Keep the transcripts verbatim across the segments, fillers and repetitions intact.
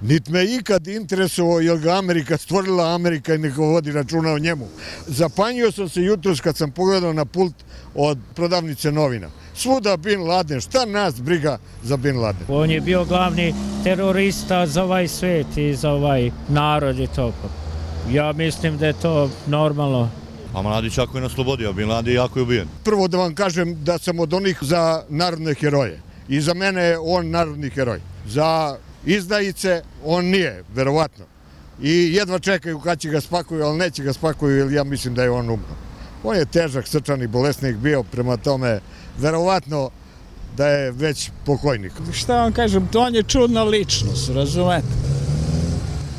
Niti me ikad interesovao je li ga Amerika stvorila Amerika i neka vodi računa o njemu. Zapanjio sam se jutros kad sam pogledao na pult od prodavnice novina. Svuda Bin Laden, šta nas briga za Bin Laden? On je bio glavni terorista za ovaj svijet i za ovaj narod i to. Ja mislim da je to normalno. A Mladić jako je na slobodi, a Bin Laden jako je ubijen. Prvo da vam kažem da sam od onih za narodne heroje. I za mene je on narodni heroj. Za izdajice on nije, verovatno. I jedva čekaju kad će ga spakuju, ali neće ga spakuju, jer ja mislim da je on umro. On je težak srčani bolesnik bio, prema tome verovatno da je već pokojnik. Šta vam kažem, to on je čudna ličnost, razumete?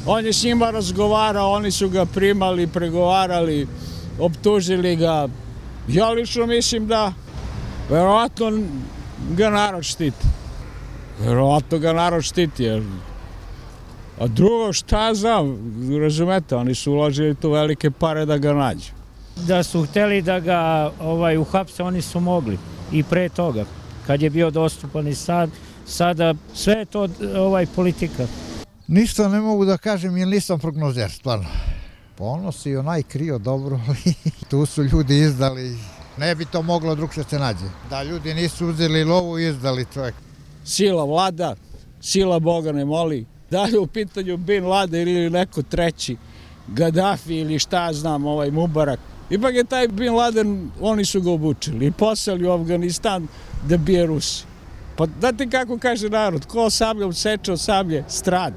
On je s njima razgovarao, oni su ga primali, pregovarali, optužili ga. Ja lično mislim da verovatno ga narod štiti. Verovatno ga narod štiti. Jer... A drugo, šta znam, razumete, oni su uložili tu velike pare da ga nađu. Da su hteli da ga ovaj, uhapse, oni su mogli i pre toga, kad je bio dostupan i sad, sada sve je to ovaj, politika. Ništa ne mogu da kažem jer nisam prognozer, stvarno. Ponos i onaj krio dobro, tu su ljudi izdali, ne bi to moglo drugše se nađe. Da ljudi nisu uzeli lovu i izdali čovjek. Sila vlada, sila Boga ne moli. Da li u pitanju Bin Laden ili neko treći, Gaddafi ili šta znam, ovaj Mubarak. Ipak je taj Bin Laden, oni su ga obučili i poslali u Afganistan da bije Rusi. Pa znate kako kaže narod, ko sabljom seče, sablje strada.